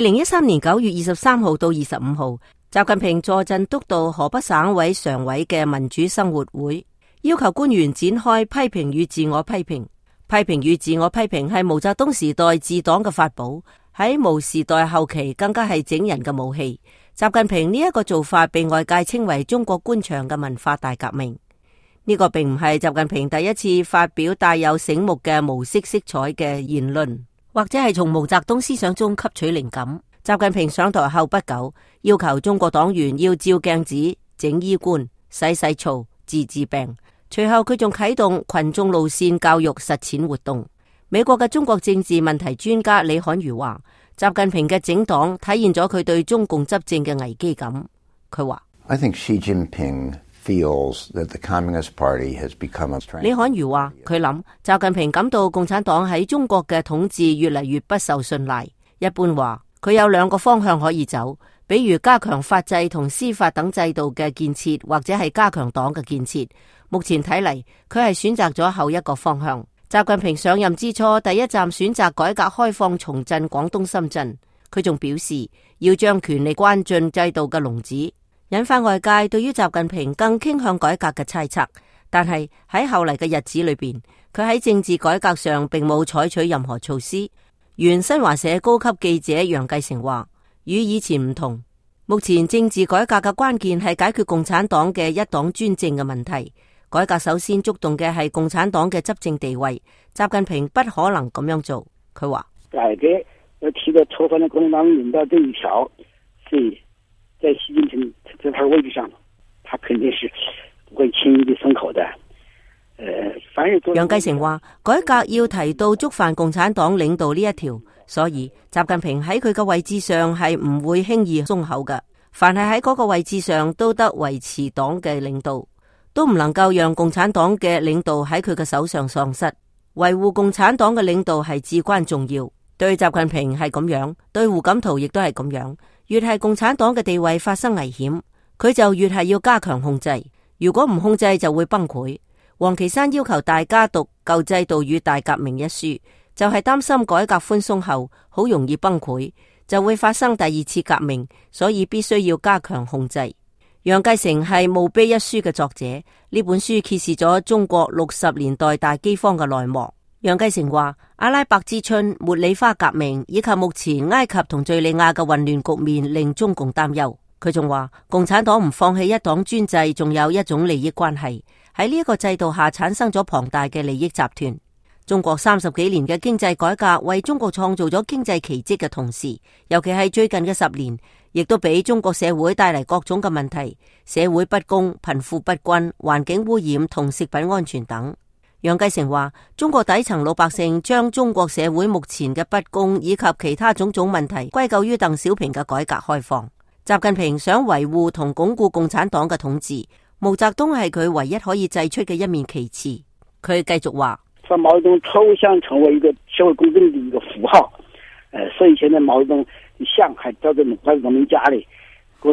2013年9月23號到25號，習近平坐鎮督導河北省委常委嘅民主生活會，要求官員展開批評與自我批評。批評與自我批評係毛澤東時代治黨嘅法寶，喺毛時代後期更加係整人嘅武器。習近平呢一個做法被外界稱為中國官場嘅文化大革命。呢個並唔係習近平第一次發表帶有醒目嘅毛色色彩嘅言論，或者係從毛澤東思想中吸取靈感。習近平上台後不久，要求中國黨員要照鏡子、整衣冠、洗澡、治病。隨後佢仲啟動群眾路線教育實踐活動。美國嘅中國政治問題專家李侃如話，習近平嘅整黨體現咗佢對中共執政嘅危機感。佢話I think Xi Jinping feels that the Communist Party has become a strength. 李侃如話，佢諗習近平感到共產黨喺中國嘅統治越嚟越不受信賴。一般話，佢有兩個方向可以走，比如加強法制同司法等制度嘅建設，或者係加強黨嘅建設。目前睇嚟，佢係選擇咗後一個方向。習近平上任之初，第一站選擇改革開放重振廣東深圳。佢仲表示要將權力關進制度嘅籠子，引發外界對於習近平更傾向改革嘅猜測。但係喺後嚟嘅日子裏邊，佢喺政治改革上並冇採取任何措施。原新華社高級記者楊繼成話，與以前唔同，目前政治改革嘅關鍵係解決共產黨嘅一黨專政嘅問題。改革首先觸動嘅係共產黨嘅執政地位，習近平不可能咁樣做。佢話改革要提到推翻了共產黨領導這一條，所以在習近平這塊位置上，他肯定是不會輕易地鬆口的。楊繼成話，改革要提到觸犯共產黨領導呢一條，所以習近平喺佢嘅位置上係唔會輕易鬆口嘅。凡係喺嗰個位置上都得維持黨嘅領導，都唔能夠讓共產黨嘅領導喺佢嘅手上喪失。維護共產黨嘅領導係至關重要。對習近平係咁樣，對胡錦濤亦都係咁樣。越係共產黨嘅地位發生危險，佢就越係要加強控制。如果唔控制，就會崩潰。王岐山要求大家讀《舊制度與大革命》一書，就係擔心改革寬鬆後好容易崩潰，就會發生第二次革命，所以必須要加強控制。楊繼成係墓碑一書嘅作者，呢本書揭示咗中國60年代大饑荒嘅內幕。楊繼成話，阿拉伯之春、茉莉花革命以及目前埃及同敘利亞嘅混亂局面令中共擔憂。佢仲話，共產黨唔放棄一黨專制，仲有一種利益關係。喺呢一個制度下產生咗龐大嘅利益集團。中國30幾年嘅經濟改革為中國創造咗經濟奇蹟嘅同時，尤其係最近嘅10年，亦都俾中國社會帶嚟各種嘅問題，社會不公、貧富不均、環境污染同食品安全等。楊繼成話，中國底層老百姓將中國社會目前嘅不公以及其他種種問題歸咎於鄧小平嘅改革開放。習近平想維護同鞏固共產黨嘅統治，毛澤東係佢唯一可以祭出嘅一面旗幟。佢繼續話，把毛澤東抽象成為一個社會公正的一個符號，所以現在毛澤東像還照在毛澤東家裏，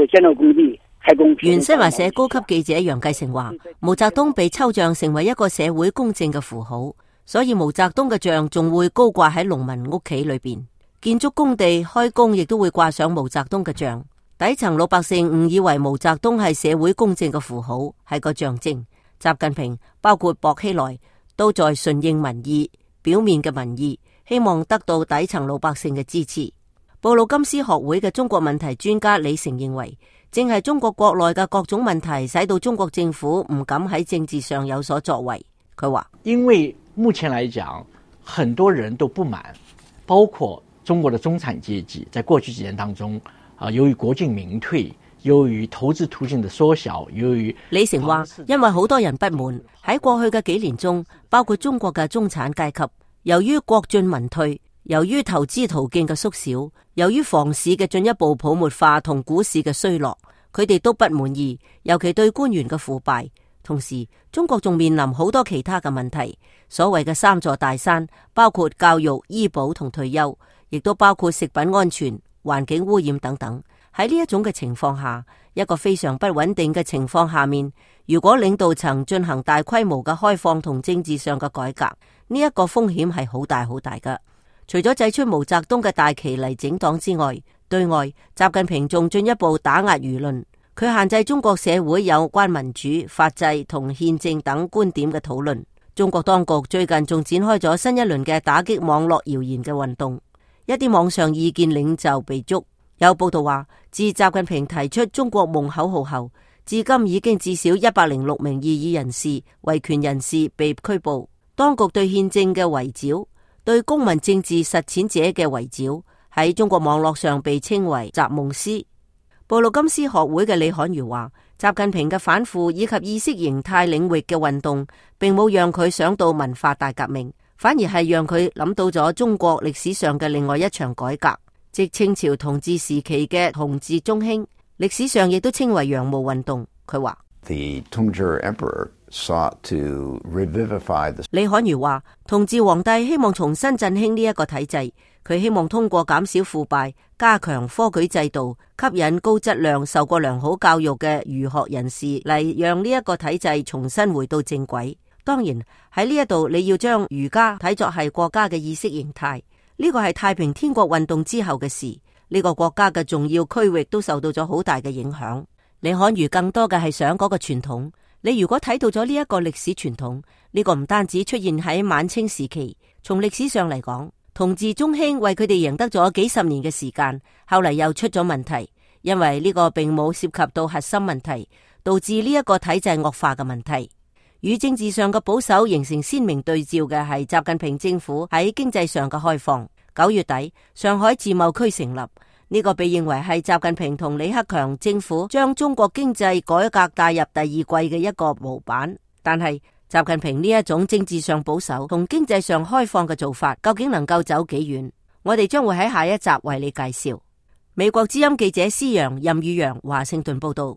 建造工地開工。原新華社高級記者楊繼成話，毛澤東被抽象成為一個社會公正嘅符號，所以毛澤東嘅像仲會高掛喺農民屋企裏邊，建築工地開工亦都會掛上毛澤東嘅像。底層老百姓誤以為毛澤東係社會公正嘅符號，係個象徵。習近平包括薄熙來都在順應民意，表面嘅民意，希望得到底層老百姓嘅支持。布魯金斯學會嘅中國問題專家李成認為，正係中國國內嘅各種問題，使到中國政府唔敢喺政治上有所作為。佢話，因為目前來講，很多人都不滿，包括中國的中產階級，在過去幾年當中，由於國進民退，由於投資途徑的縮小，由於李成話，因為好多人不滿，喺過去嘅幾年中，包括中國嘅中產階級，由於國進民退，由於投資途徑嘅縮小，由於房市嘅進一步泡沫化同股市嘅衰落，佢哋都不滿意，尤其對官員嘅腐敗。同時，中國仲面臨好多其他嘅問題，所謂嘅3座大山，包括教育、醫保同退休，亦都包括食品安全、環境污染等等。喺呢一種嘅情況下，一個非常不穩定嘅情況下面，如果領導層進行大規模嘅開放同政治上嘅改革，呢一個風險係好大好大㗎。除咗祭出毛澤東嘅大旗嚟整黨之外，對外習近平仲進一步打壓輿論。佢限制中國社會有關民主、法制同憲政等觀點嘅討論。中國當局最近仲展開咗新一輪嘅打擊網絡謠言嘅運動，一啲網上意見領袖被捉。有報道話，自習近平提出中國夢口號後，至今已經至少106名異議人士、維權人士被拘捕。當局對憲政嘅圍剿、對公民政治實踐者嘅圍剿，喺中國網絡上被稱為習夢思。布魯金斯學會嘅李侃如話，習近平嘅反腐以及意識形態領域嘅運動，並冇讓佢想到文化大革命，反而係讓佢諗到咗中國歷史上嘅另外一場改革，即清朝統治時期嘅同治中興，歷史上亦都稱為洋務運動。佢話The Tongzhi Emperor sought to revivify the... 李侃如話，同治皇帝希望重新振興呢一個體制，佢希望通過減少腐敗、加強科舉制度、吸引高質量、受過良好教育嘅儒學人士嚟，讓呢一個體制重新回到正軌。當然喺呢一度，你要將儒家睇作係國家嘅意識形態，呢個係太平天國運動之後嘅事，呢個國家嘅重要區域都受到咗好大嘅影響。李侃如更多嘅係想嗰個傳統，你如果睇到咗呢一個歷史傳統，呢個唔單止出現喺晚清時期，從歷史上嚟講，同治中興為佢哋贏得咗幾十年嘅時間，後嚟又出咗問題，因為呢個並冇涉及到核心問題，導致呢一個體制惡化嘅問題。與政治上嘅保守形成鮮明對照嘅係習近平政府喺經濟上嘅開放。9月底，上海自貿區成立，呢個被認為係習近平同李克強政府將中國經濟改革帶入第二季嘅一個模板。但係習近平呢一種政治上保守同經濟上開放嘅做法，究竟能夠走幾遠？我哋將會喺下一集為你介紹。美國之音記者施陽、任宇陽華盛頓報道。